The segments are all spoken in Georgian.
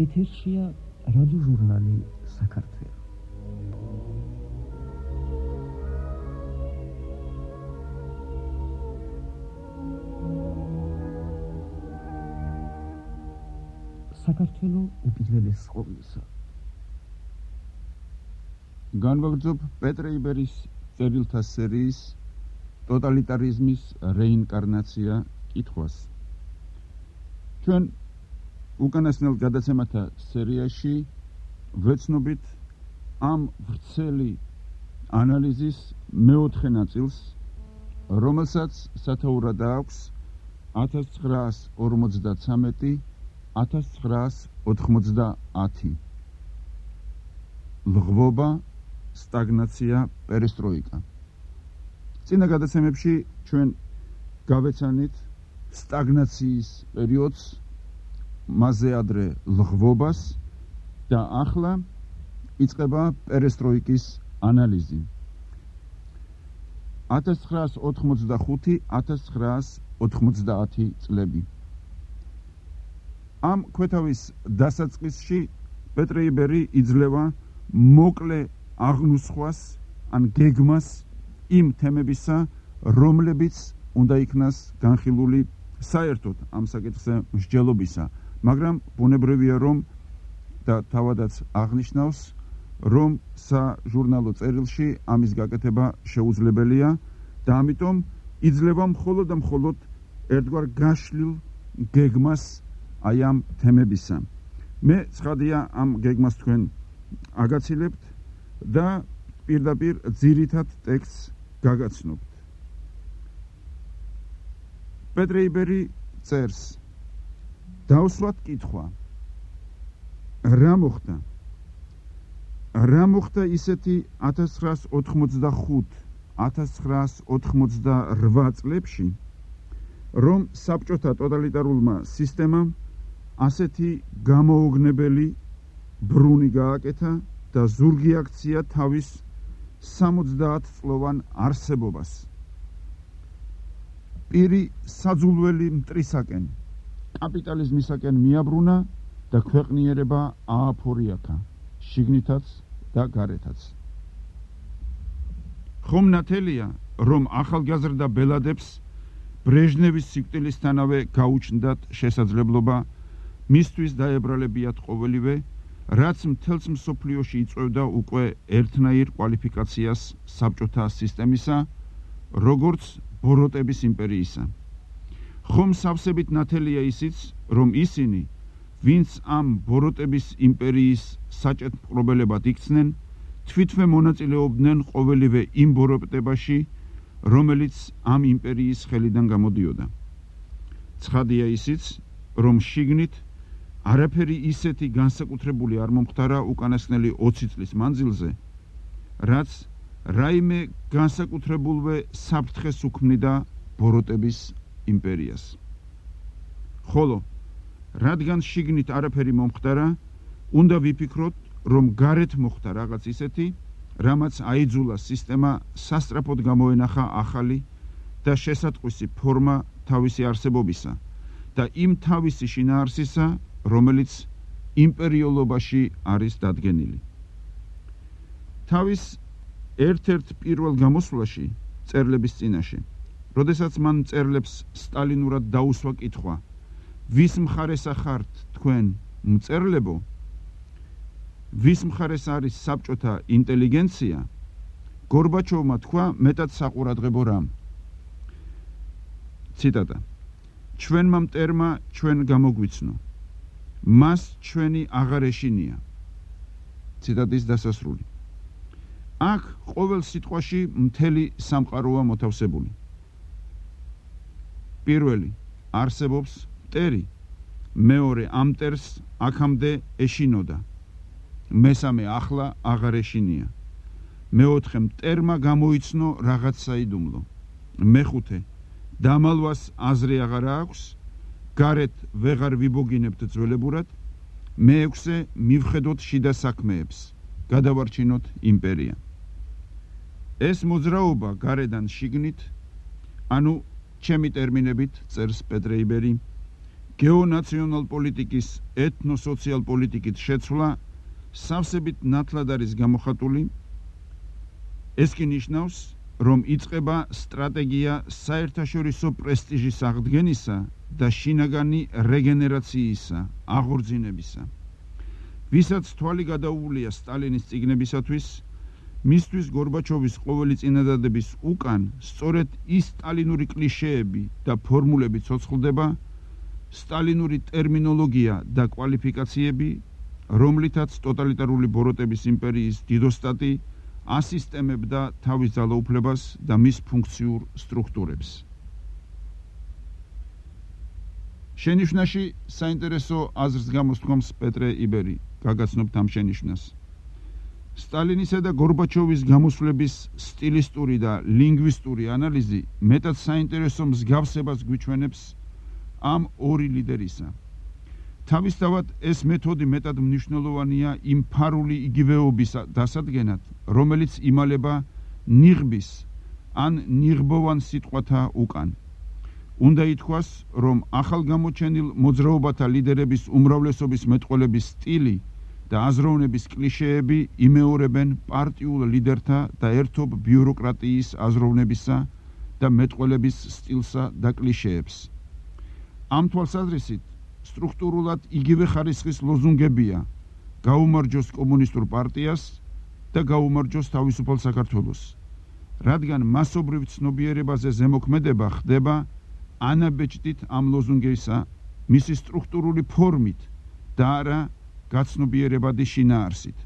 ეთერშია რადიო ჟურნალი საქართველო. საქართველო უპირველეს ყოვლისა. განვაგრძობ პეტრე იბერის წერილთა სერიის ტოტალიტარიზმის რეინკარნაცია კითხვას. ჩვენ უკანასკნელ გადაცემათა სერიაში ვეცნობით ამ ვრცელი ანალიზის მეოთხე ნაწილს, რომელსაც სათაურად აქვს 1953-1990 ლღვობა, სტაგნაცია, პერესტროიკა. წინა გადაცემებში ჩვენ გავეცანით სტაგნაციის პერიოდს, მასზე ადრე ლღვობას და ახლა იწყება პერესტროიკის ანალიზი. 1985-1990 წლები. ამ ქვეთავის დასაწყისში პეტრე იბერი იძლევა მოკლე აღნუსხვას ან გეგმას იმ თემებისა, რომლებიც უნდა იქნას განხილული საერთოდ ამ საკითხზე მსჯელობისა, მაგრამ ბუნებრივია რომ და თავადაც აღნიშნავს, რომ საჟურნალო წერილში ამის გაკეთება შეუძლებელია და ამიტომ იძლევა მხოლოდ და მხოლოდ ერთგვარ გაშლილ გეგმას აი ამ თემებისა. მე ცხადია ამ გეგმას თქვენ აგაცილებთ და პირდაპირ ძირითად ტექსტს გაგაცნობთ. პეტრე იბერი წერს: დავსვათ კითხვა, რა მოხდა? რა მოხდა ისეთი 1985-1988 წლებში, რომ საბჭოთა ტოტალიტარულმა სისტემამ ასეთი გამოუგნებელი ბრუნი გააკეთა და ზურგი აქცია თავის 70 წლოვან არსებობას. პირი საძულველი მტრისაკენ, კაპიტალიზმისაკენ მიაბრუნა და ქვეყნიერება ააფორიათა, შიგნითაც და გარეთაც. ხომ ნათელია, რომ ახალგაზრდა ბელადებს ბრეჟნევის სიკვდილისთანავე გაუჩნდათ შესაძლებლობა მისთვის დაებრალებიათ ყოველივე, რაც მთელს მსოფლიოში იწვევდა უკვე ერთნაირ კვალიფიკაციას საბჭოთა სისტემისა, როგორც ბოროტების იმპერიისა. ხომ სავსებით ნათელია ისიც, რომ ისინი, ვინც ამ ბოროტების იმპერიის საჭეთმყრობელებად იქცნენ, თვითმე მონაწილეობდნენ ყოველივე იმ ბოროტებაში, რომელიც ამ იმპერიის ხელიდან გამოდიოდა. ცხადია ისიც, რომ შიგნით არაფერი ისეთი განსაკუთრებული არ მომხდარა უკანასკნელი 20 წლის მანძილზე, რაც რაიმე განსაკუთრებულვე საფრთხეს უქმნიდა ბოროტების იმპერიას. ხოლო რადგან შიგნით არაფერი მომხდარა, უნდა ვიფიქროთ, რომ გარეთ მოხდა რაღაც ისეთი, რამაც აიძულა სისტემა სასწრაფოდ გამოენახა ახალი და შესატყვისი ფორმა თავისი არსებობისა და იმ თავისი შინაარსისა, რომელიც იმპერიოლობაში არის დადგენილი. თავის ერთ-ერთ პირველ გამოსვლაში წერლების წინაშე, როდესაც მან მწერლებს სტალინურად დაუსვა კითხვა, ვის მხარეს ახართ თქვენ მწერლებო, ვის მხარეს არის საბჭოთა ინტელიგენცია, გორბაჩოვმა თქვა მეტად საყურადღებო რამ. ციტატა: ჩვენმა მტერმა ჩვენ გამოგვიცნო, მას ჩვენი აღარ ეშინია. ციტატის დასასრული. აქ ყოველ სიტყვაში მთელი სამყაროა მოთავსებული. პირველი, არსებობს მტერი, მეორე, ამ მტერს აქამდე ეშინოდა, მესამე, ახლა აღარ ეშინია, მეოთხე, მტერმა გამოიცნო რაღაც საიდუმლო, მეხუთე, დამალვას აზრი აღარ აქვს, გარეთ ვეღარ ვიბოგინებთ ძველებურად, მეექვსე, მივხედოთ შიდა საქმეებს, გადავარჩინოთ იმპერია. ეს მოძრაობა გარედან შიგნით, ანუ ჩემი ტერმინებით წერს პეტრე იბერი, გეონაციონალ პოლიტიკის ეთნო-სოციალ პოლიტიკით შეცვლა სავსებით ნათლად არის გამოხატული. ეს კი ნიშნავს, რომ იწყება სტრატეგია საერთაშორისო პრესტიჟის აღდგენისა და შინაგანი რეგენერაციისა, აღორძინებისა. ვისაც თვალი გადაუვლია სტალინის წიგნებისათვის, მისთვის გორბაჩოვის ყოველი წინადადების უკან სწორედ ის სტალინური კლიშეები და ფორმულები ცოცხლდება, სტალინური ტერმინოლოგია და კვალიფიკაციები, რომლითაც ტოტალიტარული ბოროტების იმპერიის დიდოსტატი ასისტემებდა თავის ძალაუფლებას და მის ფუნქციურ სტრუქტურებს. შენიშვნაში საინტერესო აზრს გამოსთქვამს პეტრე იბერი, გაგაცნობთ ამ შენიშვნას. სტალინისა და გორბაჩოვის გამოსვლების სტილისტური და ლინგვისტური ანალიზი მეტად საინტერესო მსგავსებას გვიჩვენებს ამ ორი ლიდერისა. თავისთავად ეს მეთოდი მეტად მნიშვნელოვანია იმ ფარული იგივეობის დასადგენად, რომელიც იმალება ნიღბის ან ნიღბოვან სიტყვათა უკან. უნდა ითქვას, რომ ახალგამოჩენილ მოძრაობათა ლიდერების უმრავლესობის მეტყველების სტილი და აზროვნების კლიშეები იმეორებენ პარტიულ ლიდერთა და ერთობ ბიუროკრატიის აზროვნებისა და მეტყველების სტილსა და კლიშეებს. ამ თვალსაზრისით სტრუქტურულად იგივე ხარისხის ლოზუნგებია გაუმარჯოს კომუნისტურ პარტიას და გაუმარჯოს თავისუფალ საქართველოს, რადგან მასობრივ ცნობიერებაზე ზემოქმედება ხდება ანაბეჭდით ამ ლოზუნგისა მისი სტრუქტურული ფორმით და არა გაცნობიერებადი შინაარსით.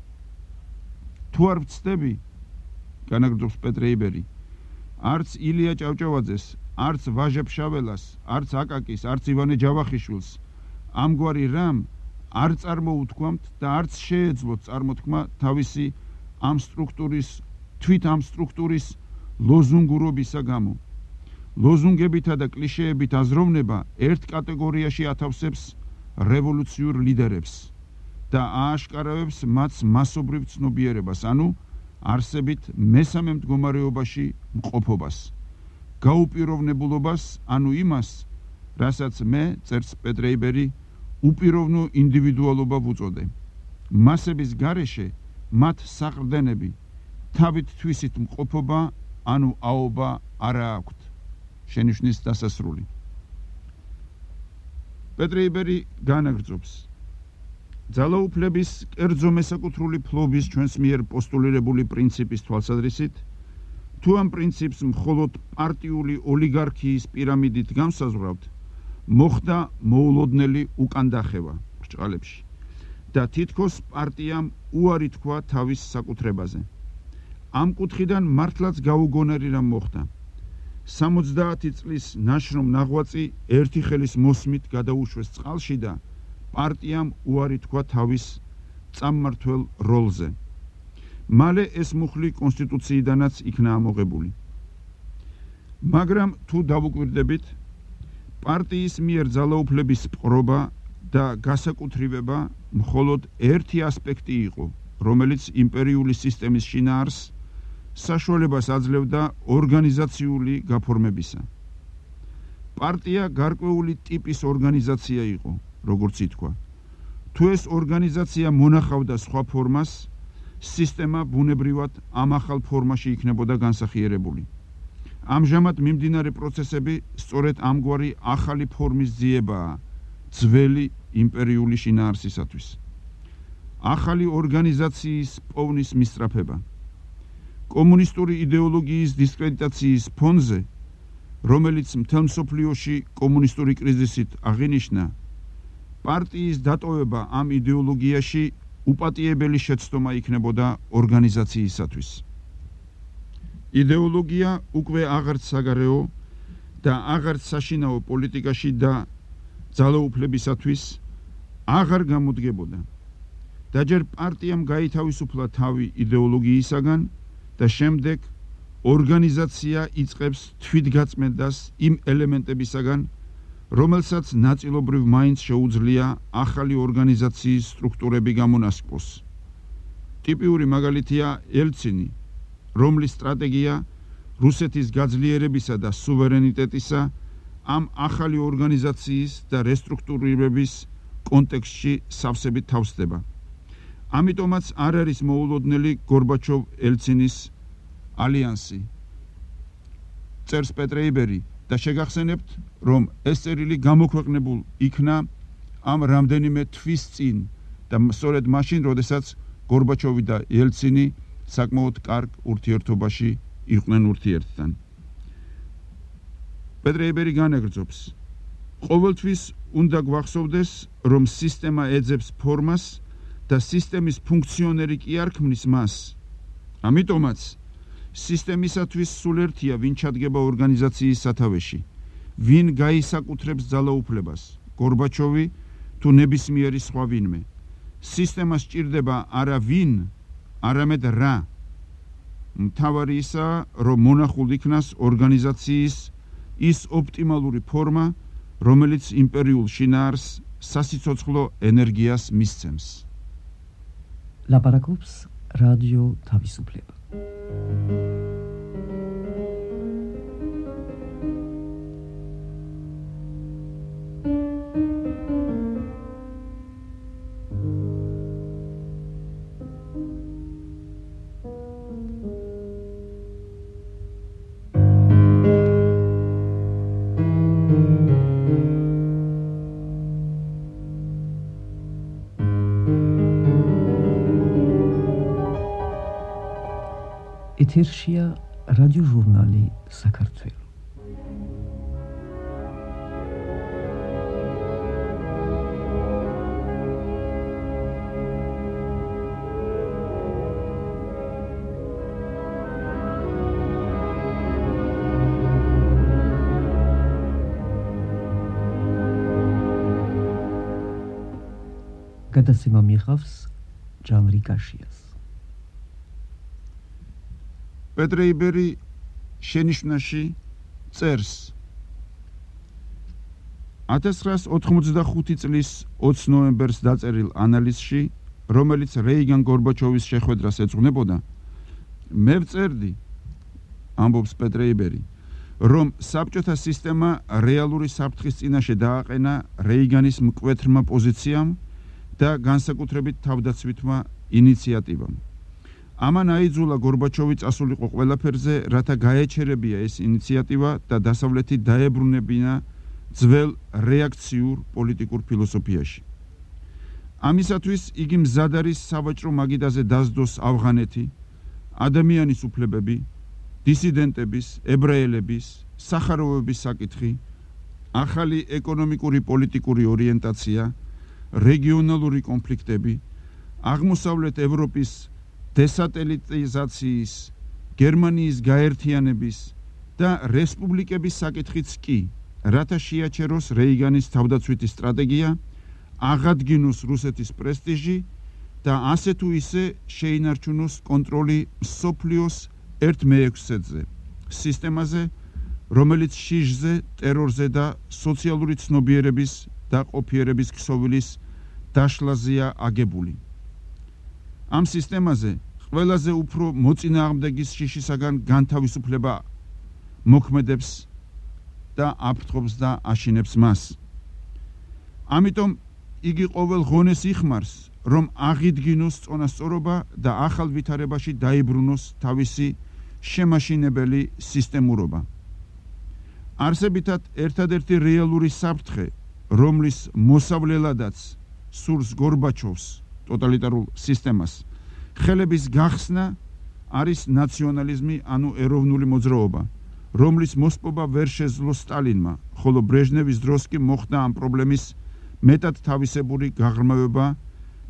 თუ არ ვცდები, განაგრძობს პეტრე იბერი, არც ილია ჭავჭავაძეს, არც ვაჟა ფშაველას, არც აკაკის, არც ივანე ჯავახიშვილს ამგვარი რამ არ წარმოუთქვამთ და არც შეეძლოთ წარმოთქმა თავისი თვით ამ სტრუქტურის ლოზუნგურობისა გამო. ლოზუნგებითა და კლიშეებით აზროვნება ერთ კატეგორიაში ათავსებს რევოლუციურ ლიდერებს და ააშკარავებს მათ მასობრივ ცნობიერებას, ანუ არსებით მესამე მდგომარეობაში მყოფობას, გაუპიროვნებულობას, ანუ იმას, რასაც მე, წერს პეტრე იბერი, უპიროვნო ინდივიდუალობა ვუწოდე. მასების გარეშე მათ საყრდენები, თავით თვისით მყოფობა, ანუ აობა არა აქვთ. შენიშვნის დასასრული. პეტრე იბერი განაგრძობს. ძალაუფლების კერძო მესაკუთრული ფლობის ჩვენს მიერ პოსტულირებული პრინციპის თვალსაზრისით, თუ ამ პრინციპს მხოლოდ პარტიული ოლიგარქიის პირამიდით განსაზღვრავთ, მოხდა მოულოდნელი უკანდახევა ბრჭყალებში და თითქოს პარტიამ უარი თქვა თავის საკუთრებაზე. ამ კუთხიდან მართლაც გაუგონარი რამ მოხდა. 70 წლის ნაშრომ ნაღვაწი ერთი ხელის მოსმით გადაუშვეს წყალში და პარტიამ უარი თქვა თავის წამმართველ როლზე. მალე ეს მუხლი კონსტიტუციიდანაც იქნა ამოღებული. მაგრამ თუ დავუკვირდებით, პარტიის მიერ ძალაუფლების პყრობა და გასაკუთრივება მხოლოდ ერთი ასპექტი იყო, რომელიც იმპერიული სისტემის შინაარსს საშუალებას აძლევდა ორგანიზაციული გაფორმებისა. პარტია გარკვეული ტიპის ორგანიზაცია იყო, როგორც ითქვა. თუ ეს ორგანიზაცია მონახავდა სხვა ფორმას, სისტემა ბუნებრივად ამ ახალ ფორმაში იქნებოდა განსახიერებული. ამჟამად მიმდინარე პროცესები სწორედ ამგვარი ახალი ფორმის ძიებაა ძველი იმპერიული შინაარსისათვის. ახალი ორგანიზაციის პოვნის მისწრაფება. კომუნისტური იდეოლოგიის დისკრედიტაციის ფონზე, რომელიც მთელ მსოფლიოში კომუნისტური კრიზისით აღინიშნა, პარტიის დატოვება ამ იდეოლოგიაში უპატიებელი შეცდომა იქნებოდა ორგანიზაციისათვის. იდეოლოგია უკვე აღარც საგარეო და აღარც საშინაო პოლიტიკაში და ძალაუფლებისათვის აღარ გამოდგებოდა. და ჯერ პარტიამ გაითავისუფლა თავი იდეოლოგიისაგან და შემდეგ ორგანიზაცია იწყებს თვითგაწმენდას იმ ელემენტებისაგან, რომელსაც ნაწილობრივ მაინც შეუძლია ახალი ორგანიზაციის სტრუქტურები გამონასკბოს. ტიპიური მაგალითია ელცინი, რომლის სტრატეგია რუსეთის გაძლიერებისა და სუვერენიტეტისა ამ ახალი ორგანიზაციის და რესტრუქტურირების კონტექსტში სავსებით თავსდება. ამიტომაც არ არის მოულოდნელი გორბაჩოვ-ელცინის ალიანსი. წერს პეტრეიბერი და შეგახსენებთ, რომ ეს წერილი გამოქვეყნებულ იქნა ამ რამდენიმე თვის წინ და სწორედ მაშინ, როდესაც გორბაჩოვი და ელცინი საკმაოდ კარგ ურთიერთობაში იყვნენ ურთიერთთან. პეტრეიბერი განაგრძობს. ყოველთვის უნდა გვახსოვდეს, რომ სისტემა ეძებს ფორმას და სისტემის ფუნქციონერი კი არ ქმნის მას. ამიტომაც სისტემისათვის სულ ერთია, ვინ ჩადგება ორგანიზაციის სათავეში, ვინ გაისაკუთრებს ძალაუფლებას, გორბაჩოვი თუ ნებისმიერი სხვა ვინმე. სისტემას სჭირდება არა ვინ, არამედ რა. მთავარი ისაა, რომ მონახულ იქნას ორგანიზაციის ის ოპტიმალური ფორმა, რომელიც იმპერიულ შინაარს სასიცოცხლო ენერგიას მისცემს. ლაპარაკობს რადიო თავისუფლება. ეთერშია რადიო ჟურნალი საქართველო. გადაცემა მიიღავს ჟანრი კაშიას. პეტრეიბერი შენიშვნაში წერს 1985 წლის 20 ნოემბერს დაწერილ ანალიზში, რომელიც რეიგან-გორბაჩოვის შეხვედრას ეძღვნებოდა, მე ვწერდი, ამბობს პეტრეიბერი, რომ საბჭოთა სისტემა რეალური საფრთხის წინაშე დააყენა რეიგანის მკვეთრმა პოზიციამ და განსაკუთრებით თავდაცვითმა ინიციატივამ. ამან აიძულა გორბაჩოვი წასულიყო ყველაფერზე, რათა გაეჩერებია ეს ინიციატივა და დასავლეთი დაებრუნებინა ძველ რეაქციურ პოლიტიკურ ფილოსოფიაში. ამისათვის იგი მზად არის სავაჭრო მაგიდაზე დასდოს ავღანეთი, ადამიანის უფლებები, დისიდენტების, ებრაელების, სახაროვების საკითხი, ახალი ეკონომიკური პოლიტიკური ორიენტაცია, რეგიონალური კონფლიქტები, აღმოსავლეთ ევროპის დესატელიტიზაციის, გერმანიის გაერთიანების და რესპუბლიკების საკითხიც კი, რათა შეაჩეროს რეიგანის თავდაცვითი სტრატეგია, აღადგინოს რუსეთის პრესტიჟი და ასე თუ ისე შეინარჩუნოს კონტროლი მსოფლიოს 1/6-ზე, სისტემაზე, რომელიც შიშზე, ტერორზე და სოციალური ცნობიერების და ყოფიერების ქსოვილის დაშლაზეა აგებული. ამ სისტემაზე ყველაზე უფრო მოწინააღმდეგის შიშისაგან განთავისუფლება მოქმედებს და აფრთხობს და აშინებს მას. ამიტომ იგი ყოველ ღონეს იხმარს, რომ აღიდგინოს წონასწორობა და ახალ ვითარებაში დაიბრუნოს თავისი შემაშინებელი სისტემურობა. არსებითად ერთადერთი რეალური საფრთხე, რომლის მოსავლელადაც სურს გორბაჩოვს ტოტალიტარულ სისტემას, ხელების გახსნა არის ნაციონალიზმი, ანუ ეროვნული მოძრაობა, რომლის მოსპობა ვერ შეძლო სტალინმა, ხოლო ბრეჟნევის დროს კი მოხდა ამ პრობლემის მეტად თავისებური გაღრმავება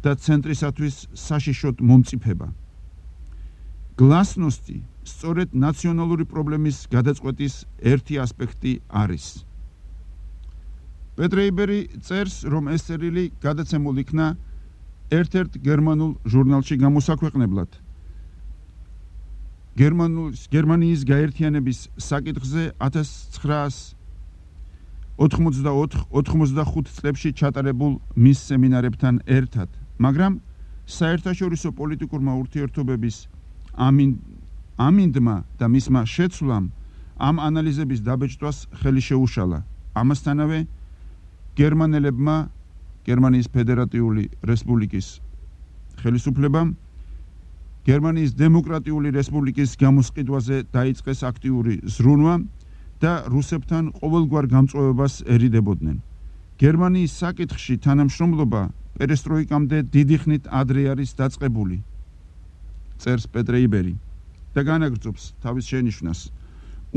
და ცენტრისათვის საშიშოდ მომწიფება. გლასნოსტი სწორედ ნაციონალური პრობლემის გადაწყვეტის ერთი ასპექტი არის. პეტრეიბერი წერს, რომ ეს წერილი გადაცემულ იქნა ერთ-ერთ გერმანულ ჟურნალში გამოსაქვეყნებლად. გერმანიის გაერთიანების საკითხზე 1984-85 წლებში ჩატარებულ მის სემინარებთან ერთად, მაგრამ საერთაშორისო პოლიტიკურმა ურთიერთობების ამინდმა და მისმა შეცვლამ ამ ანალიზების დაბეჭდვას ხელი შეუშალა ამასთანავე გერმანელებმა გერმანიის ფედერატიული რესპუბლიკის ხელისუფლებამ გერმანიის დემოკრატიული რესპუბლიკის გამოსყიდვაზე დაიწყეს აქტიური ზრუნვა და რუსებთან ყოველგვარ გამწვევებას ერიდებოდნენ. გერმანიის საკითხში თანამშრომლობა პერესტროიკამდე დიდი ხნით ადრე არის დაწყებული, წერს პეტრეიბერი და განაგრძობს თავის შენიშვნას.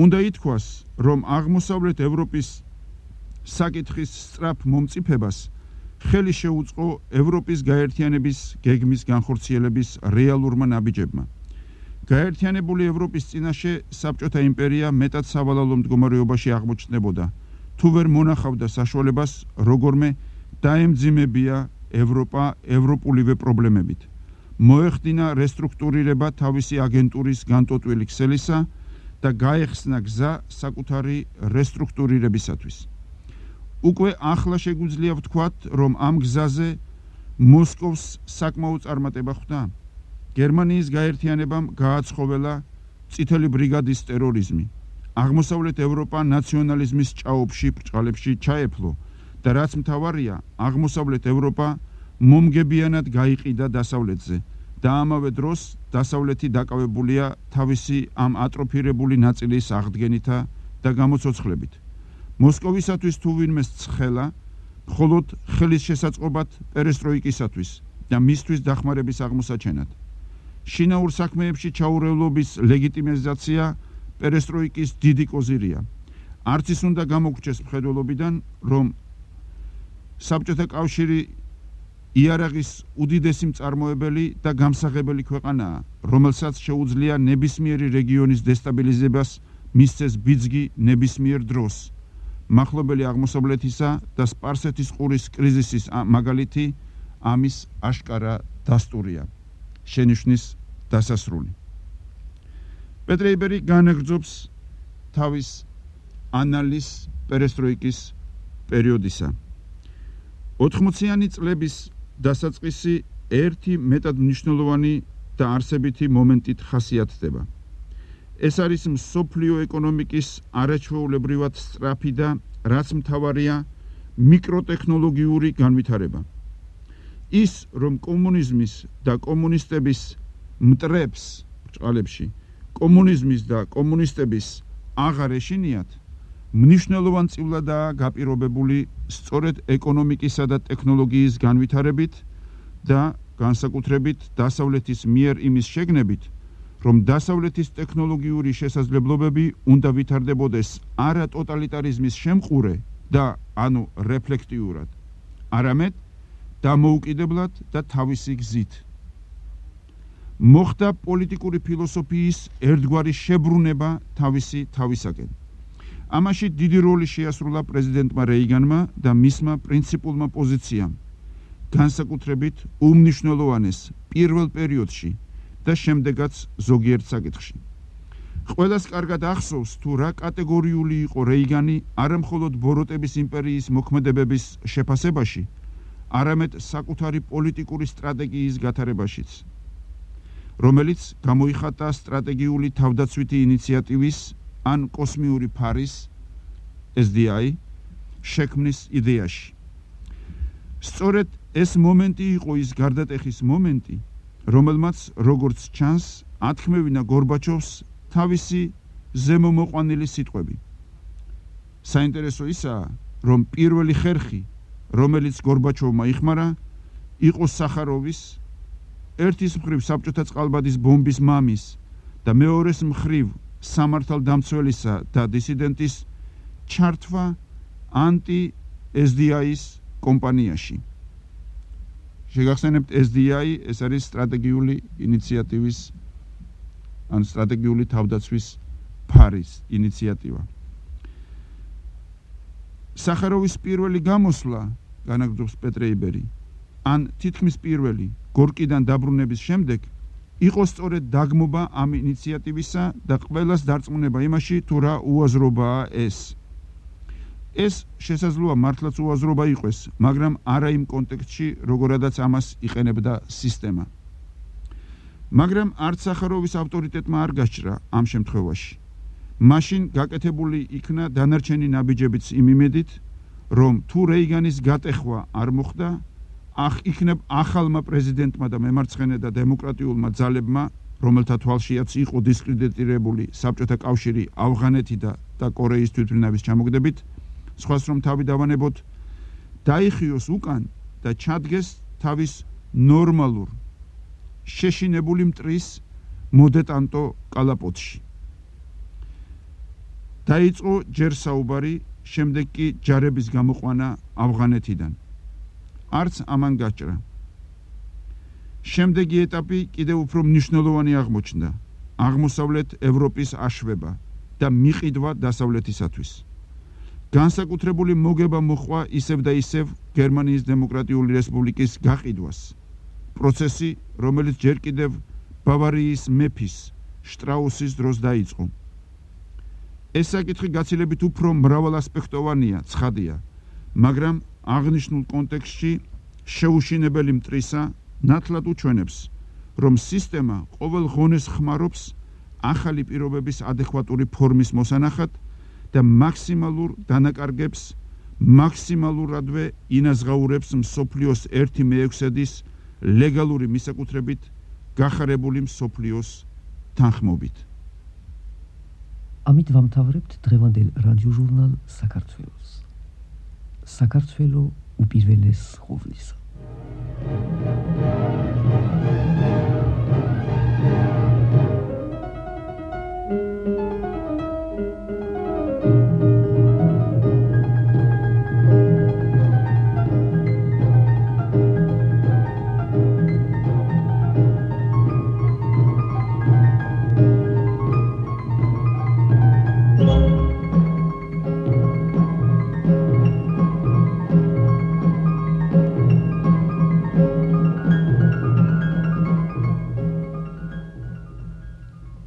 უნდა ითქვას, რომ აღმოსავლეთ ევროპის საკითხის სწრაფ მომწიფებას ხელი შეუწყო ევროპის გაერთიანების გეგმის განხორციელების რეალურმა ნაბიჯებმა. გაერთიანებული ევროპის წინაშე საბჭოთა იმპერია მეტად სავალალო მდგომარეობაში აღმოჩნდებოდა, თუ ვერ მონახავდა საშუალებას როგორმე დაემძიმებია ევროპა ევროპულივე პრობლემებით. მოეხდინა რესტრუქტურირება თავისი აგენტურის განტოტვილი ქსელისა და გაეხსნა გზა საკუთარი რესტრუქტურირებისათვის. უკვე ახლა შეგვიძლია ვთქვათ, რომ ამ გზაზე მოსკოვს საკმაო წარმატება ხვდა. გერმანიის გაერთიანებამ გააცხოველა წითელი ბრიგადის ტერორიზმი. აღმოსავლეთ ევროპა ნაციონალიზმის ჭაობში ბრჭყალებში ჩაეფლო და რაც მთავარია, აღმოსავლეთ ევროპა მომგებიანად გაიყიდა დასავლეთზე და ამავე დროს დასავლეთი დაკავებულია თავისი ამ ატროფირებული ნაწილის აღდგენითა და გამოცოცხლებით. მოსკოვისათვის თუ ვინმეს ცხელა, მხოლოდ ხელის შესაწყობად პერესტროიკისათვის და მისთვის დახმარების აღმოსაჩენად. შინაურ საქმეებში ჩაურევლობის ლეგიტიმიზაცია პერესტროიკის დიდი კოზირია. არც ის უნდა გამოგრჩეს მხედველობიდან, რომ საბჭოთა კავშირი იარაღის უდიდესი მწარმოებელი და გამსაღებელი ქვეყანაა, რომელსაც შეუძლია ნებისმიერი რეგიონის დესტაბილიზებას მისცეს ბიძგი ნებისმიერ დროს. მახლობელი აღმოსავლეთისა და სპარსეთის ყურის კრიზისის მაგალითი ამის აშკარა დასტურია. შენიშვნის დასასრული. პეტრეიბერი განაგრძობს თავის ანალიზს პერესტროიკის პერიოდისა. 80-იანი წლების დასაწყისი ერთი მეტად მნიშვნელოვანი და არსებითი მომენტით ხასიათდება. ეს არის მსოფლიო ეკონომიკის არაჩვეულებრივად სწრაფი და რაც მთავარია მიკროტექნოლოგიური განვითარება. ის, რომ კომუნიზმის და კომუნისტების მტრებს ბრჭყალებში, კომუნიზმის და კომუნისტების აღარ ეშინიათ, მნიშვნელოვანწილადაა გაპირობებული სწორედ ეკონომიკისა და ტექნოლოგიის განვითარებით და განსაკუთრებით დასავლეთის მიერ იმის შეგნებით, რომ დასავლეთის ტექნოლოგიური შესაძლებლობები უნდა ვითარდებოდეს არა ტოტალიტარიზმის შემყურე და ანუ რეფლექტიურად, არამედ დამოუკიდებლად და თავისი გზით. მოხდა პოლიტიკური ფილოსოფიის ერთგვარი შებრუნება თავისაკენ. ამაში დიდი როლი შეასრულა პრეზიდენტმა რეიგანმა და მისმა პრინციპულმა პოზიციამ, განსაკუთრებით უმნიშვნელოვანეს პირველ პერიოდში და შემდეგაც ზოგიერთ საკითხში. ყველას კარგად ახსოვს, თუ რა კატეგორიული იყო რეიგანი არა მხოლოდ ბოროტების იმპერიის მოქმედებების შეფასებაში, არამედ საკუთარი პოლიტიკური სტრატეგიის გათარებაშიც, რომელიც გამოიხატა სტრატეგიული თავდაცვითი ინიციატივის ან კოსმიური ფარის SDI შექმნის იდეაში. სწორედ ეს მომენტი იყო ის გარდატეხის მომენტი, რომელმაც როგორც ჩანს ათქმევინა გორბაჩოვს თავისი ზემომოყვანილი სიტყვები. საინტერესო ისაა, რომ პირველი ხერხი, რომელიც გორბაჩოვმა იხმარა, იყო სახაროვის, ერთის მხრივ საბჭოთა წყალბადის ბომბის მამის და მეორეს მხრივ სამართალდამცველისა და დისიდენტის ჩართვა ანტი-SDI-ის კომპანიაში. შეგახსენებთ, SDI ეს არის სტრატეგიული ინიციატივის ან სტრატეგიული თავდაცვის ფარის ინიციატივა. სახაროვის პირველი გამოსვლა, განაგრძობს პეტრეიბერი, ან თითქმის პირველი გორკიდან დაბრუნების შემდეგ იყო სწორედ დაგმობა ამ ინიციატივისა და ყველას დარწმუნება იმაში, თუ რა უაზრობაა ეს. ეს შესაძლოა მართლაც უაზრობა იყოს, მაგრამ არა იმ კონტექსტში, როგორადაც ამას იყენებდა სისტემა. მაგრამ არც სახაროვის ავტორიტეტმა არ გაჩრა ამ შემთხვევაში. მაშინ გაკეთებული იქნა დანარჩენი ნაბიჯებიც იმ იმედით, რომ თუ რეიგანის გატეხვა არ მოხდა, იქნებ ახალმა პრეზიდენტმა და მემარცხენე და დემოკრატიულმა ძალებმა, რომელთა თვალშიაც იყო დისკრედიტირებული საბჭოთა კავშირი ავღანეთი და კორეის თვითმფრინავის ჩამოგდებით, სხვას რომ თავი დავანებოთ, დაიხიოს უკან და ჩადგეს თავის ნორმალურ შეშინებული მტრის მოდეტანტო კალაპოტში. დაიწყო ჯერ საუბარი, შემდეგ კი ჯარების გამოყვანა ავღანეთიდან. არც ამან გაჭრა. შემდეგი ეტაპი კიდევ უფრო მნიშვნელოვანი აღმოჩნდა. აღმოსავლეთ ევროპის აშვება და მიყიდვა დასავლეთისათვის. განსაკუთრებული მოგება მოჰყვა ისევ და ისევ გერმანიის დემოკრატიული რესპუბლიკის გაყიდვას. პროცესი, რომელიც ჯერ კიდევ ბავარიის მეფის შტრაუსის დროს დაიწყო. ეს საკითხი გაცილებით უფრო მრავალასპექტოვანია, ცხადია, მაგრამ აღნიშნულ კონტექსტში შეუშინებელი მტრისა ნათლად უჩვენებს, რომ სისტემა ყოველ ღონეს ხმარობს ახალი პირობების ადეკვატური ფორმის მოსანახად და მაქსიმალურ დანაკარგებს მაქსიმალურადვე ინაზღაურებს მსოფლიოს 1/6-ის ლეგალური მისაკუთრებით გახარებული მსოფლიოს თანხმობით. ამით ვამთავრებთ დღევანდელ რადიოჟურნალ საქართველოს. საქართველო უპირველეს ყოვლისა.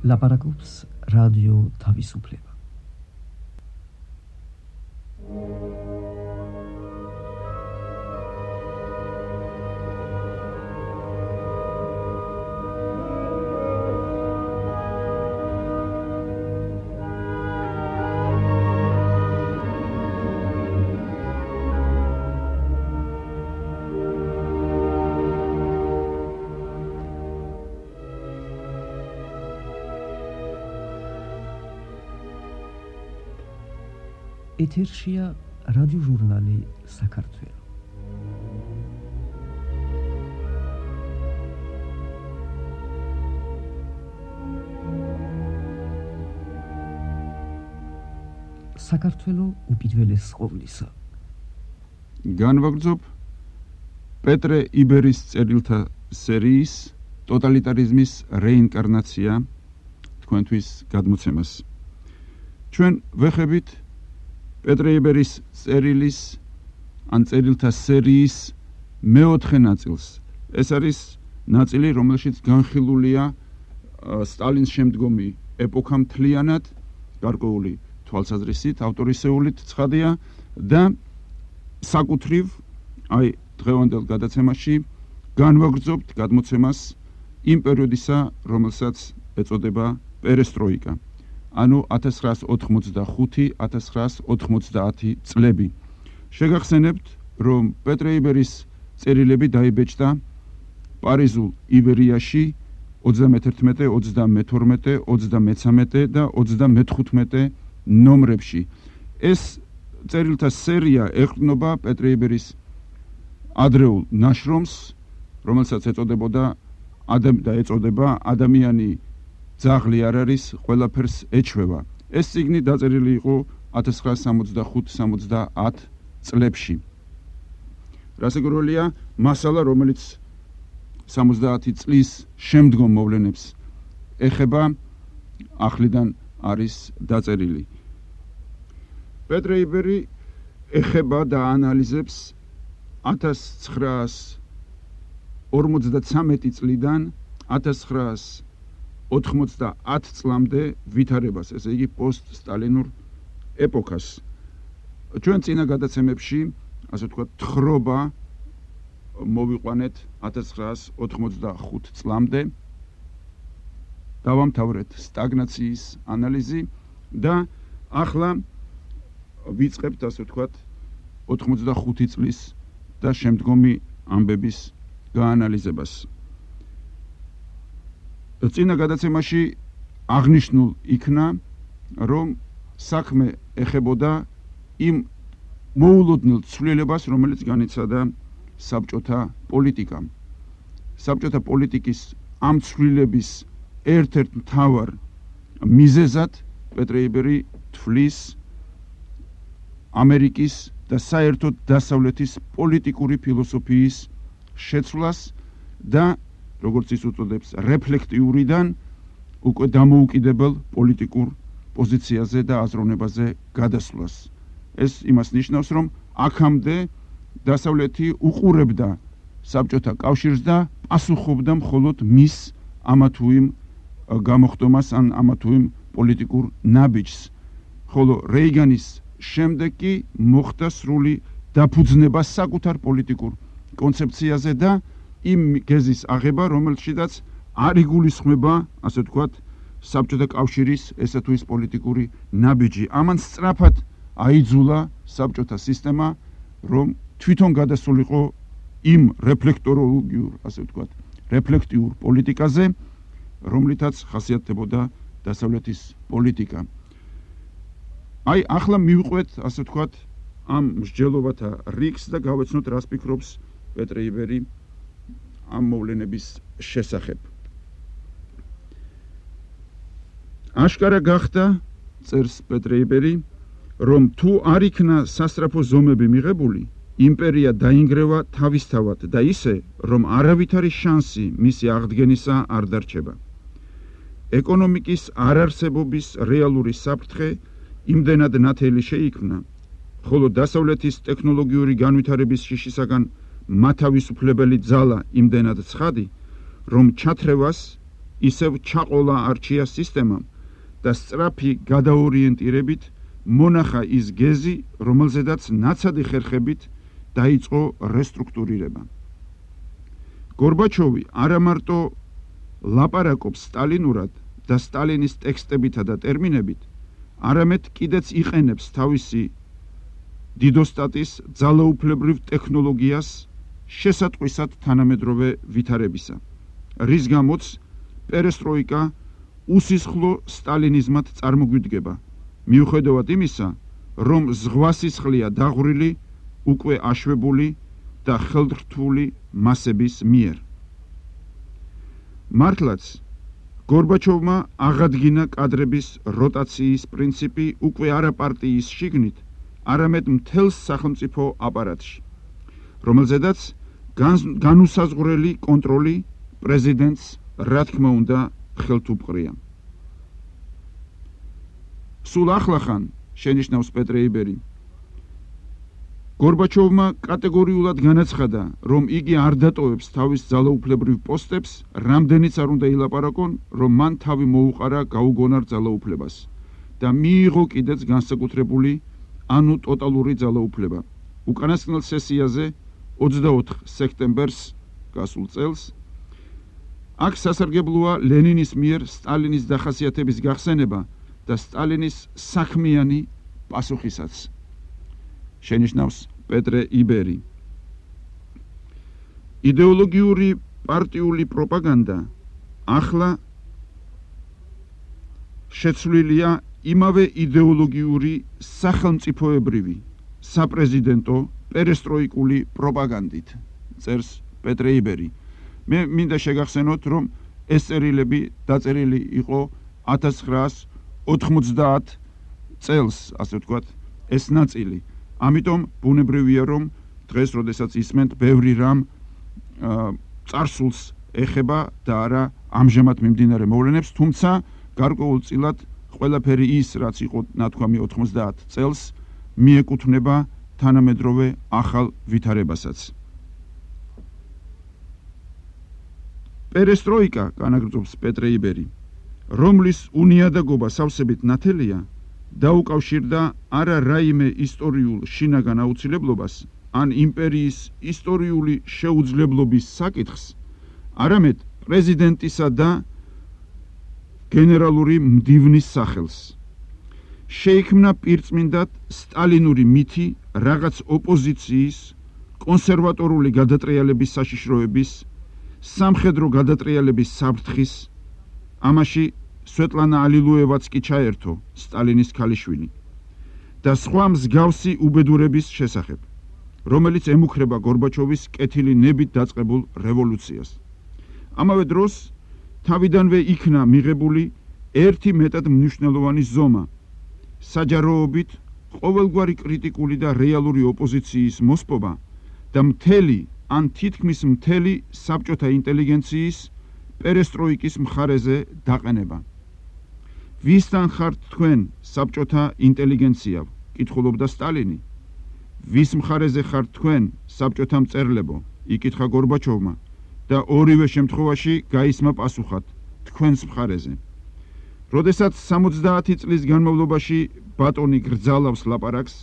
ლაპარაკობს რადიო თავისუფლება. ეთერშია რადიოჟურნალი საქართველო. საქართველო უპირველეს ყოვლისა. განვაგრძობ პეტრე იბერის წერილთა სერიის ტოტალიტარიზმის რეინკარნაცია თქვენთვის გადმოცემას. ჩვენ ვეხებით პეტრე იბერის წერილის ან წერილთა სერიის მეოთხე ნაწილს. ეს არის ნაწილი, რომელშიც განხილულია სტალინის შემდგომი ეპოქა მთლიანად, გარკვეული თვალსაზრისით, ავტორისეულით ცხადია და საკუთრივ აი დღევანდელ გადაცემაში განვაგრძობთ გადმოცემას იმ პერიოდისა, რომელსაც ეწოდება პერესტროიკა. ანუ 1985-1990 წლები. შეგახსენებთ, რომ პეტრე იბერის წერილები დაიბეჭდა პარიზულ იბერიაში 31, 32, 33 და 35 ნომრებში. ეს წერილთა სერია ეყრდნობა პეტრე იბერის ადრეულ ნაშრომს, რომელსაც ეწოდებოდა ეწოდება ადამიანი ძაღლი არ არის, ყველაფერს ეჩვევა. ეს წიგნი დაწერილი იყო 1965-70 წლებში. რასაკვირველია, მასალა, რომელიც 70 წლის შემდგომ მოვლენებს ეხება, ახლიდან არის დაწერილი. პეტრე იბერი ეხება და ანალიზებს 1953 წლიდან 1990 წლამდე ვითარებას, ესე იგი პოსტ-სტალინურ ეპოქას. ჩვენ წინა გადაცემებში, ასე ვთქვათ, თხრობა მოვიყვანეთ 1985 წლამდე. დავამთავრეთ სტაგნაციის ანალიზი და ახლა ვიწყებთ ასე ვთქვათ 85 წლის და შემდგომი ამბების გაანალიზებას. წინა გადაცემაში აღნიშნულ იქნა, რომ საქმე ეხებოდა იმ მოულოდნელ ცვლილებას, რომელიც განიცადა საბჭოთა პოლიტიკამ. საბჭოთა პოლიტიკის ამ ცვლილების ერთ-ერთ მთავარ მიზეზად პეტრე იბერი თვლის ამერიკის და საერთოდ დასავლეთის პოლიტიკური ფილოსოფიის შეცვლას და როგორც ის უწოდებს რეფლექტიურიდან უკვე დამოუკიდებელ პოლიტიკურ პოზიციაზე და აზროვნებაზე გადასვლას. ეს იმას ნიშნავს, რომ აქამდე დასავლეთი უყურებდა საბჭოთა კავშირს და პასუხობდა მხოლოდ მის ამა თუ იმ გამოხდომას ან ამა თუ იმ პოლიტიკურ ნაბიჯს, ხოლო რეიგანის შემდეგ კი მოხდა სრული დაფუძნება საკუთარ პოლიტიკურ კონცეფციაზე და იმ გეზის აღება, რომელშიც არ იგულისხმება, ასე ვთქვათ, საბჭოთა კავშირის ესა თუ ის პოლიტიკური ნაბიჯი. ამან სწრაფად აიძულა საბჭოთა სისტემა, რომ თვითონ გადასულიყო იმ რეფლექტოროლოგიურ, ასე ვთქვათ, რეფლექტიურ პოლიტიკაზე, რომლითაც ხასიათდებოდა დასავლეთის პოლიტიკა. აი, ახლა მივყვეთ, ასე ვთქვათ, ამ მსჯელობათა რიგს და გავეცნოთ, რას ფიქრობს პეტრე იბერი ამ მოვლენების შესახებ. აშკარა გახდა, წერს პეტრე იბერი, რომ თუ არ იქნა სასწრაფო ზომები მიღებული, იმპერია დაინგრევა თავისთავად და ისე, რომ არავითარი შანსი მისი აღდგენისა არ დარჩება. ეკონომიკის არარსებობის რეალური საფრთხე იმდენად ნათელი შეიქმნა, ხოლო დასავლეთის ტექნოლოგიური განვითარების შიშისაგან მათავისუფლებელი ძალა იმდენად ცხადი, რომ ჩათრევას ისევ ჩაყოლა არჩია სისტემამ და სწრაფი გადაორიენტირებით მონახა ის გეზი, რომელზედაც ნაცადი ხერხებით დაიწყო რესტრუქტურირება. გორბაჩოვი არა მარტო ლაპარაკობს სტალინურად და სტალინის ტექსტებითა და ტერმინებით, არამედ კიდეც იყენებს თავისი დიდოსტატის ძალაუფლებრივ ტექნოლოგიას შესატყვისად თანამედროვე ვითარებისა, რის გამოც პერესტროიკა უსისხლო სტალინიზმად წარმოგვიდგება, მიუხედავად იმისა, რომ ზღვასისხლია დაღვრილი უკვე აშვებული და ხელდრთული მასების მიერ. მართლაც, გორბაჩოვმა აღადგინა კადრების როტაციის პრინციპი უკვე არა პარტიის შიგნით, არამედ მთელს სახელმწიფო აპარატში, რომელზედაც განუსაზღვრელი კონტროლი პრეზიდენტს, რა თქმა უნდა, ხელთ უპყრია. სულ ახლახან, შენიშნავს პეტრე იბერი, გორბაჩოვმა კატეგორიულად განაცხადა, რომ იგი არ დატოვებს თავის ძალაუფლებრივ პოსტებს, რამდენიც არ უნდა ილაპარაკონ, რომ მან თავი მოუყარა გაუგონარ ძალაუფლებას და მიიღო კიდეც განსაკუთრებული, ანუ ტოტალური ძალაუფლება. უკანასკნელ სესიაზე 24 სექტემბერს გასულ წელს აქ სასარგებლოა ლენინის მიერ სტალინის დახასიათების გახსენება და სტალინის საქმიანი პასუხისაც. შენიშნავს პეტრე იბერი. იდეოლოგიური პარტიული პროპაგანდა ახლა შეცვლილია იმავე იდეოლოგიური სახელმწიფოებრივი საპრეზიდენტო პერესტროიკული პროპაგანდით, წერს პეტრე იბერი. მე მინდა შეგახსენოთ, რომ ეს წერილები დაწერილი იყო 1990 წელს, ასე ვთქვათ, ეს ნაწილი. ამიტომ ბუნებრივია, რომ დღეს, როდესაც ისმენთ, ბევრი რამ წარსულს ეხება და არა ამჟამად მიმდინარე მოვლენებს, თუმცა გარკვეულწილად ყველაფერი ის, რაც იყო ნათქვამი 90 წელს, მიეკუთვნება თანამედროვე ახალ ვითარებასაც. პერესტროიკა, განაგრძობს პეტრე იბერი, რომლის უნიადაგობა სავსებით ნათელია, დაუკავშირდა არა რაიმე ისტორიულ შინაგან აუცილებლობას ან იმპერიის ისტორიული შეუძლებლობის საკითხს, არამედ პრეზიდენტისა და გენერალური მდივნის სახელს. შეიქმნა პირწმინდად სტალინური მითი რაღაც ოპოზიციის, კონსერვატორული გადატრიალების საშიშროების, სამხედრო გადატრიალების საფრთხის, ამაში სვეტლანა ალილუევაც კი ჩაერთო, სტალინის ქალიშვილი, და სხვა მსგავსი უბედურების შესახებ, რომელიც ემუქრება გორბაჩოვის კეთილი ნებით დაწყებულ რევოლუციას. ამავე დროს თავიდანვე იქნა მიღებული ერთი მეტად მნიშვნელოვანი ზომა, საჯაროობით ყოველგვარი კრიტიკული და რეალური ოპოზიციის მოსპობა და მთელი ან თითქმის მთელი საბჭოთა ინტელიგენციის პერესტროიკის მხარეზე დაყენება. ვისთან ხართ თქვენ საბჭოთა ინტელიგენცია? კითხულობდა სტალინი. ვის მხარეზე ხართ თქვენ საბჭოთა მწერლებო? იკითხა გორბაჩოვმა და ორივე შემთხვევაში გაისმა პასუხად თქვენს მხარეზე. როდესაც 70 წლის განმავლობაში ბატონი გრძალავს ლაპარაკს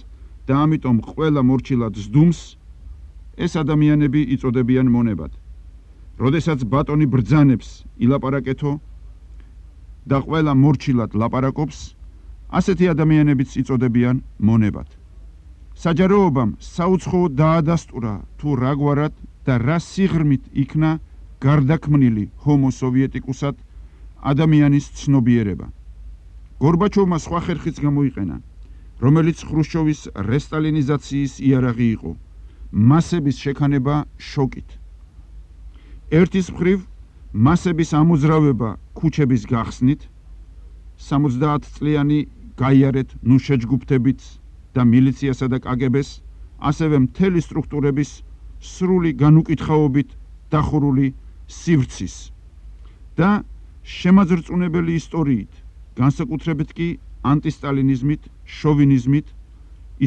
და ამიტომ ყველა მორჩილად ზდუმს, ეს ადამიანები იწოდებიან მონებად. როდესაც ბატონი ბრძანებს ილაპარაკეთო და ყველა მორჩილად ლაპარაკობს, ასეთი ადამიანებიც იწოდებიან მონებად. საჯაროობამ საუცხოოდ დაადასტურა თუ რაგვარად და რა სიღრმით იქნა გარდაქმნილი ჰომო სოვიეტიკუსად ადამიანის ცნობიერება. გორბაჩოვმა სხვა ხერხიც გამოიყენა, რომელიც ხრუშჩოვის რესტალინიზაციის იარაღი იყო, მასების შექანება შოკით. ერთის მხრივ მასების ამოძრავება ქუჩების გახსნით, 70 წლიანი გაიარეთ ნუშეჯგუფთებით და მილიციასა და კაგებეს, ასევე მთელი სტრუქტურების სრული განუკითხაობით დახურული სივრცის და შემაძრწუნებელი ისტორიით, განსაკუთრებით კი ანტისტალინიზმით, შოვინიზმით,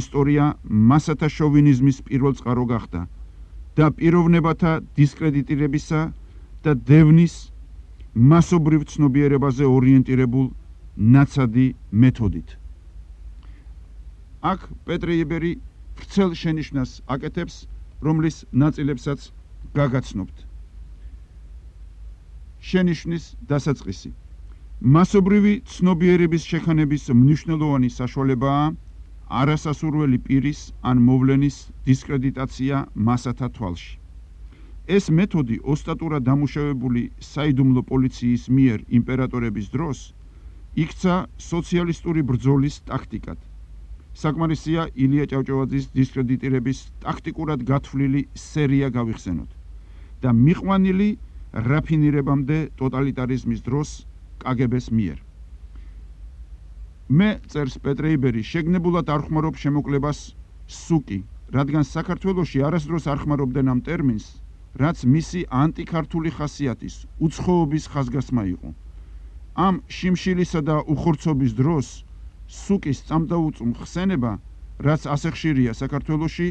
ისტორია მასათა შოვინიზმის პირველ წყარო გახდა და პიროვნებათა დისკრედიტირებისა და დევნის მასობრივ ცნობიერებაზე ორიენტირებულ ნაცადი მეთოდით. აქ პეტრე იბერი ვრცელ შენიშვნას აკეთებს, რომლის ნაწილებსაც გაგაცნობთ. შენიშვნის დასაწყისი. მასობრივი ცნობიერების შექანების მნიშვნელოვანი საშუალებაა არასასურველი პირის ან მოვლენის დისკრედიტაცია მასათა თვალში. ეს მეთოდი ოსტატურად დამუშავებული საიდუმლო პოლიციის მიერ იმპერატორების დროს იქცა სოციალისტური ბრძოლის ტაქტიკად. საკმარისია ილია ჭავჭავაძის დისკრედიტირების ტაქტიკურად გათვლილი სერია გავიხსენოთ და მიყვანილი რაფინირებამდე ტოტალიტარიზმის დროს კაგებეს მიერ. მე, წერს პეტრე იბერი, შეგნებულად არ ხმარობ შემოკლებას სუკი, რადგან საქართველოში არასდროს არ ხმარობდნენ ამ ტერმინს, რაც მისი ანტიქართული ხასიათის, უცხოობის ხაზგასმა იყო. ამ შიმშილისა და უხორცობის დროს სუკის წამდაუწმ ხსენება, რაც ასე ხშირია საქართველოში,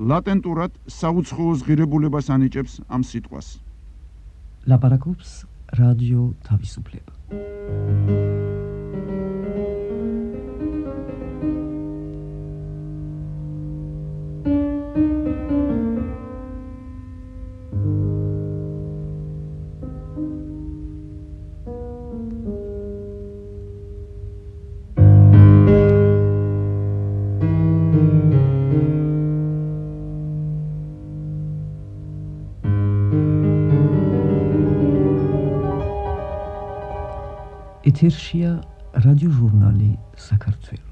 ლატენტურად საუცხოოს ღირებულებას ანიჭებს ამ სიტყვას. ლაპარაკობს რადიო თავისუფლება. ეთერშია რადიოჟურნალი საქართველო.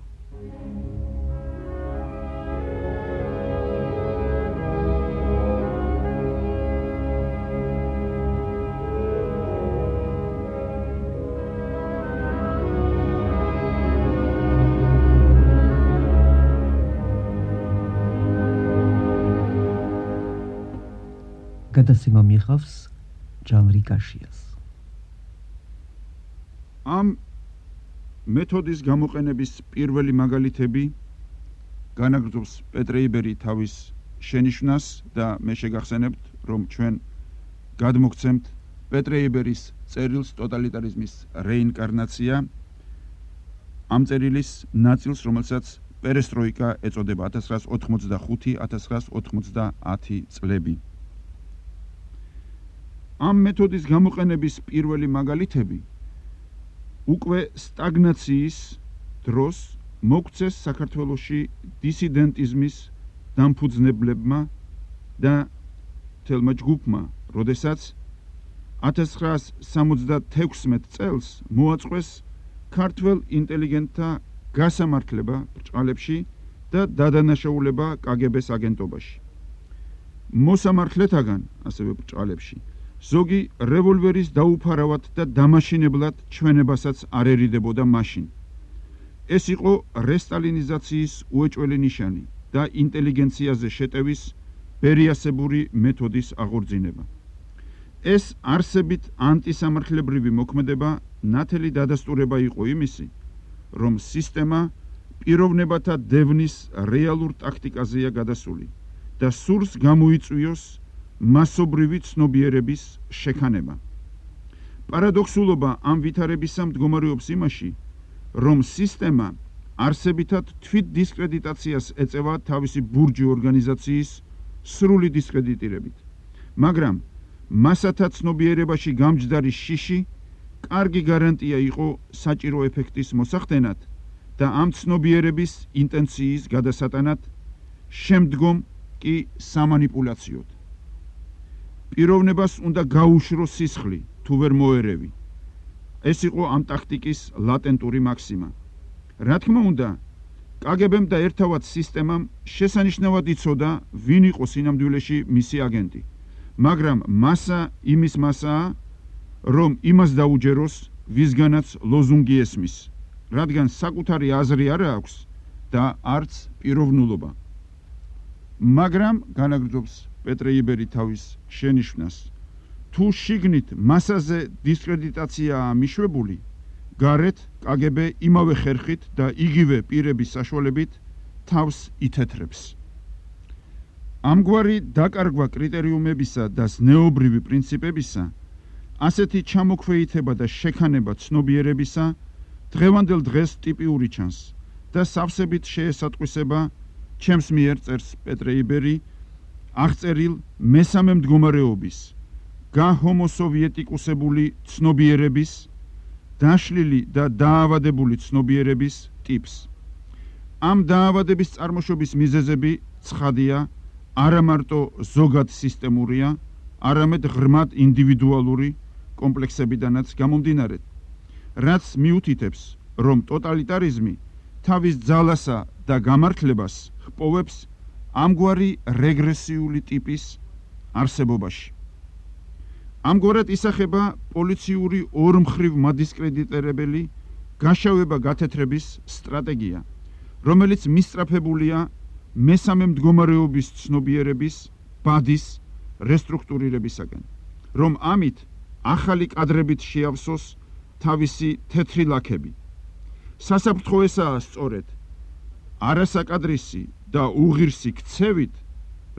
გადაცემა მიიღავს ჟანრი კაშიას. ამ მეთოდის გამოყენების პირველი მაგალითები განაგრძობს პეტრე იბერი თავის შენიშვნას და მე შეგახსენებთ, რომ ჩვენ გადმოგცემთ პეტრე იბერის წერილს ტოტალიტარიზმის რეინკარნაცია, ამ წერილის ნაწილს, რომელსაც პერესტროიკა ეწოდება 1985-1990 წლები. ამ მეთოდის გამოყენების პირველი მაგალითები უკვე სტაგნაციის დროს მოგვცეს საქართველოში დისიდენტიზმის დამფუძნებლებმა და თელმა ჯგუფმა, როდესაც 1976 წელს მოაწყვეს ქართველ ინტელიგენტთა გასამართლება ბრჭყალებში და დადანაშაულება კგბ-ს აგენტობაში. მოსამართლეთაგან, ასევე ბრჭყალებში, ზოგი რევოლვერის დაუფარავად და დამაშინებლად ჩვენებასაც არ ერიდებოდა მაშინ. ეს იყო რესტალინიზაციის უეჭველი ნიშანი და ინტელიგენციაზე შეტევის ბერიასებური მეთოდის აღორძინება. ეს არსებით ანტისამართლებრივი მოქმედება ნათელი დადასტურება იყო იმისი, რომ სისტემა პიროვნებათა დევნის რეალურ ტაქტიკაზეა გადასული და სურს გამოიწვიოს მასობრივი ცნობიერების შექანება. პარადოქსულობა ამ ვითარებისა მდგომარეობს იმაში, რომ სისტემა არსებითად თვით დისკრედიტაციას ეწევა თავისი ბურჯი ორგანიზაციის სრული დისკრედიტირებით, მაგრამ მასათა ცნობიერებაში გამჯდარი შიში კარგი გარანტია იყო საჭირო ეფექტის მოსახდენად და ამ ცნობიერების ინტენციის გადასატანად, შემდგომ კი სამანიპულაციოდ. პიროვნებას უნდა გაუშროს სისხლი, თუ ვერ მოერევი. ეს იყო ამ ტაქტიკის ლატენტური მაქსიმა. რა თქმა უნდა, კგბ-მ და ერთავად სისტემამ შესანიშნავად იცოდა, ვინ იყო სინამდვილეში მისი აგენტი, მაგრამ მასა იმის მასაა, რომ იმას დაუჯეროს, ვისგანაც ლოზუნგი ესმის, რადგან საკუთარი აზრი არ აქვს და არც პიროვნულობა. მაგრამ განაგრძობს პეტრე იბერი თავის შენიშვნას, თუ შიგნით მასაზე დისკრედიტაციაა მიშვებული, გარეთ კგბ იმავე ხერხით და იგივე პირების საშუალებით თავს ითეთრებს. ამგვარი დაკარგვა კრიტერიუმებისა და ზნეობრივი პრინციპებისა, ასეთი ჩამოქვეითება და შექანება ცნობიერებისა დღევანდელ დღეს ტიპიური ჩანს და სავსებით შეესატყვისება ჩემს მიერ წერს პეტრე იბერი აღწერილ მესამე მდგომარეობის გაჰომოსოვიეტიკუსებული ცნობიერების დაშლილი და დაავადებული ცნობიერების ტიპს. ამ დაავადების წარმოშობის მიზეზები ცხადია, არა მარტო ზოგად სისტემურია, არამედ ღრმად ინდივიდუალური კომპლექსებიდანაც გამომდინარე, რაც მიუთითებს, რომ ტოტალიტარიზმი თავის ძალასა და გამართლებას ჰპოვებს ამგვარი რეგრესიული ტიპის არსებობაში. ამგვარად ისახება პოლიციური ორმხრივ მადისკრედიტირებელი გაშავება გათეთრების სტრატეგია, რომელიც მისწრაფებულია მესამე მდგომარეობის ცნობიერების ბადის რესტრუქტურირებისაგან, რომ ამით ახალი კადრებით შეავსოს თავისი თეთრი ლაქები. სასაფრთხო ესაა სწორედ არასაკადრისი და უღირსი ქცევით,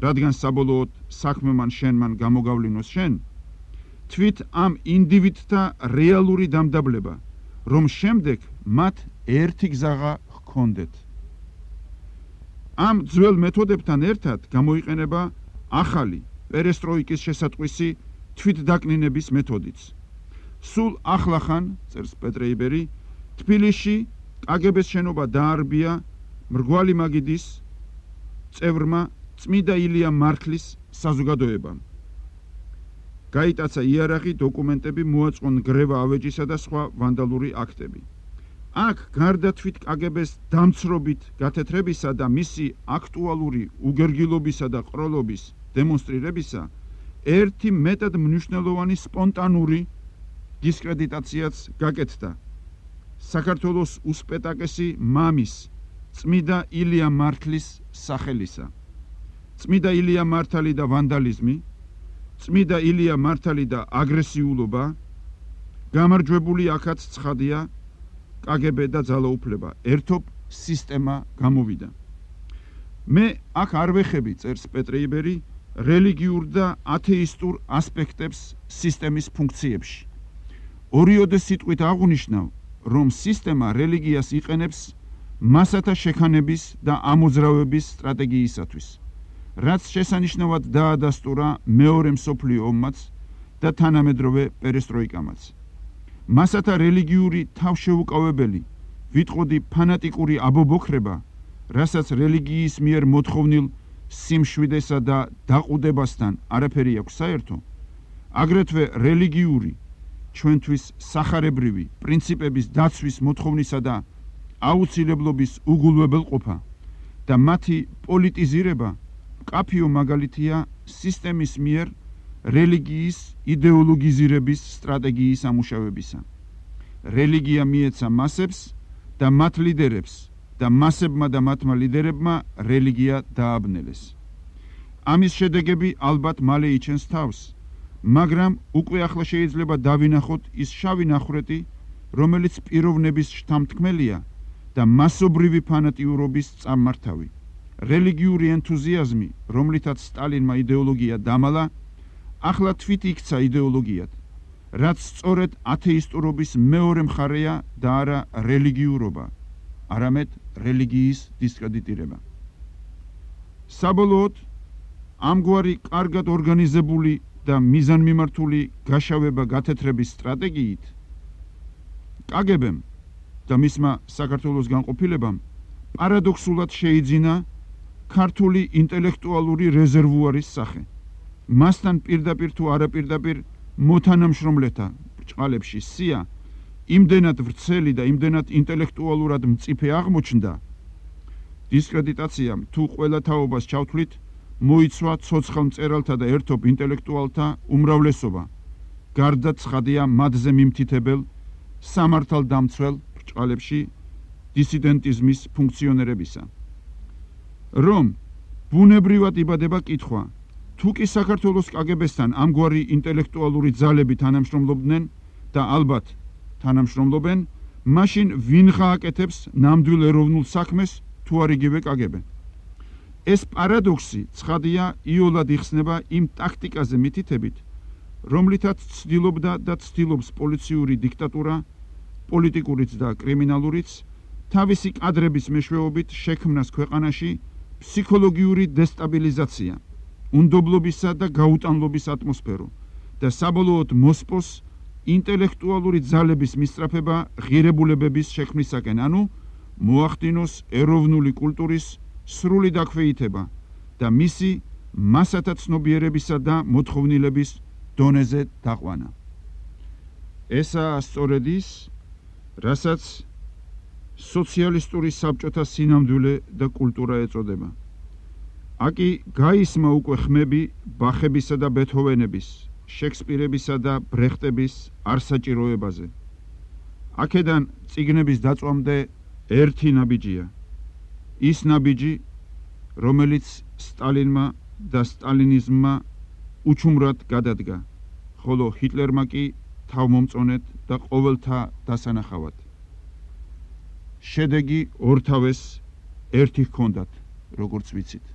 რადგან საბოლოოდ საქმე შენმან გამოგავლინოს შენ, თვით ამ ინდივიდთა რეალური დამდაბლება, რომ შემდეგ მათ ერთი გზაღა ჰქონდეთ. ამ ძველ მეთოდებთან ერთად გამოიყენება ახალი პერესტროიკის შესატყვისი თვითდაკნინების მეთოდიც. სულ ახლახან, წერს პეტრე იბერი, თბილისში კგბ-ს შენობა დაარბია მრგვალი მაგიდის წევრმა წმიდა ილია მართლის საზოგადოებამ. გაიტაცა იარაღი, დოკუმენტები, მოაწყონ გრევა ავეჯისა და სხვა ვანდალური აქტები. აქ გარდა თვით კგბ-ს დამცრობით გათეთრებისა და მისი აქტუალური უგერგილობისა და ყროლობის დემონსტრირებისა, ერთი მეტად მნიშვნელოვანი სპონტანური დისკრედიტაციაც გაკეთდა. საქართველოს უსპეტაკესი მამის, წმიდა ილია მართლის სახელისა. წმიდა ილია მართალი და ვანდალიზმი, წმიდა ილია მართალი და აგრესიულობა, გამარჯვებული აქაც ცხადია, კგბ და ძალაუფლება, ერთობ სისტემა გამოვიდა. მე აქ არ ვეხები, წერს პეტრე იბერი, რელიგიურ და ათეისტურ ასპექტებს სისტემის ფუნქციებში. ორიოდე სიტყვით აღვნიშნავ, რომ სისტემა რელიგიას იყენებს მასათა შექანების და ამოძრავების სტრატეგიისათვის, რაც შესანიშნავად დაადასტურა მეორე მსოფლიო ომმაც და თანამედროვე პერესტროიკამაც. მასათა რელიგიური თავშეუკავებელი, ვიტყოდი ფანატიკური აბობოქრება, რასაც რელიგიის მიერ მოთხოვნილ სიმშვიდესა და დაყუდებასთან არაფერი აქვს საერთო, აგრეთვე რელიგიური, ჩვენთვის სახარებრივი პრინციპების დაცვის მოთხოვნისა და აუცილებლობის უგულვებელყოფა და მათი პოლიტიზირება მკაფიო მაგალითია სისტემის მიერ რელიგიის იდეოლოგიზირების სტრატეგიის ამუშავებისა. რელიგია მიეცა მასებს და მათ ლიდერებს და მასებმა და მათმა ლიდერებმა რელიგია დააბნელეს. ამის შედეგები ალბათ მალე იჩენს თავს, მაგრამ უკვე ახლა შეიძლება დავინახოთ ის შავი ნახვრეტი, რომელიც პიროვნების შთამთქმელია და მასობრივი ფანატიურობის წარმართავი. რელიგიური ენთუზიაზმი, რომლითაც სტალინმა იდეოლოგია დამალა, ახლა თვით იქცა იდეოლოგიად, რაც სწორედ ათეისტურობის მეორე მხარეა და არა რელიგიურობა, არამედ რელიგიის დისკრედიტირება. საბოლოოდ, ამგვარი კარგად ორგანიზებული და მიზანმიმართული გაშავება გათეთრების სტრატეგიით კგბ-მ და მისმა საქართველოს განყოფილებამ პარადოქსულად შეიძინა ქართული ინტელექტუალური რეზერვუარის სახე. მასთან პირდაპირ თუ არაპირდაპირ მოთანამშრომლეთა ბრჭყალებში სია იმდენად ვრცელი და იმდენად ინტელექტუალურად მწიფე აღმოჩნდა, დისკრედიტაციამ თუ ყველა თაობას ჩავთვლით, მოიცვა ცოცხალ მწერალთა და ერთობ ინტელექტუალთა უმრავლესობა, გარდა ცხადია მათზე მიმთითებელ სამართალდამცველ ბრჭყალებში დისიდენტიზმის ფუნქციონერებისა. რომ ბუნებრივად იბადება კითხვა, თუ კი საქართველოს კგბ-სთან ამგვარი ინტელექტუალური ძალები თანამშრომლობდნენ და ალბათ თანამშრომლობენ, მაშინ ვინ გააკეთებს ნამდვილ ეროვნულ საქმეს თუ არ იგივე კგბ? ეს პარადოქსი ცხადია იოლად იხსნება იმ ტაქტიკაზე მითითებით, რომლითაც ცდილობდა და ცდილობს პოლიციური დიქტატურა, პოლიტიკურიც და კრიმინალურიც, თავისი კადრების მეშვეობით შექმნას ქვეყანაში ფსიქოლოგიური დესტაბილიზაცია, უნდობლობისა და გაუტანლობის ატმოსფერო და საბოლოოდ მოსპოს ინტელექტუალური ძალების მისწრაფება ღირებულებების შექმნისაკენ, ანუ მოახდინოს ეროვნული კულტურის სრული დაქვეითება და მისი მასათა ცნობიერებისა და მოთხოვნილების დონეზე დაყვანა. ესაა სწორედ ის, რასაც სოციალისტური საბჭოთა სინამდვილე და კულტურა ეწოდება. აკი გაისმა უკვე ხმები ბახებისა და ბეთჰოვენების, შექსპირებისა და ბრეხტების არსაჭიროებაზე. აქედან წიგნების დაწვამდე ერთი ნაბიჯია. ის ნაბიჯი, რომელიც სტალინმა და სტალინიზმმა უჩუმრად გადადგა, ხოლო ჰიტლერმა კი თავმომწონედ და ყოველთა დასანახავად. შედეგი ორთავეს ერთი ჰქონდათ, როგორც ვიცით.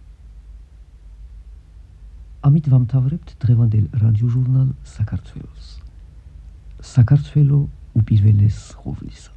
ამით ვამთავრებთ დღევანდელ რადიოჟურნალ საქართველოს. საქართველო უპირველეს ყოვლისა.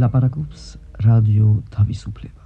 ლაპარაკობს რადიო თავისუფლება.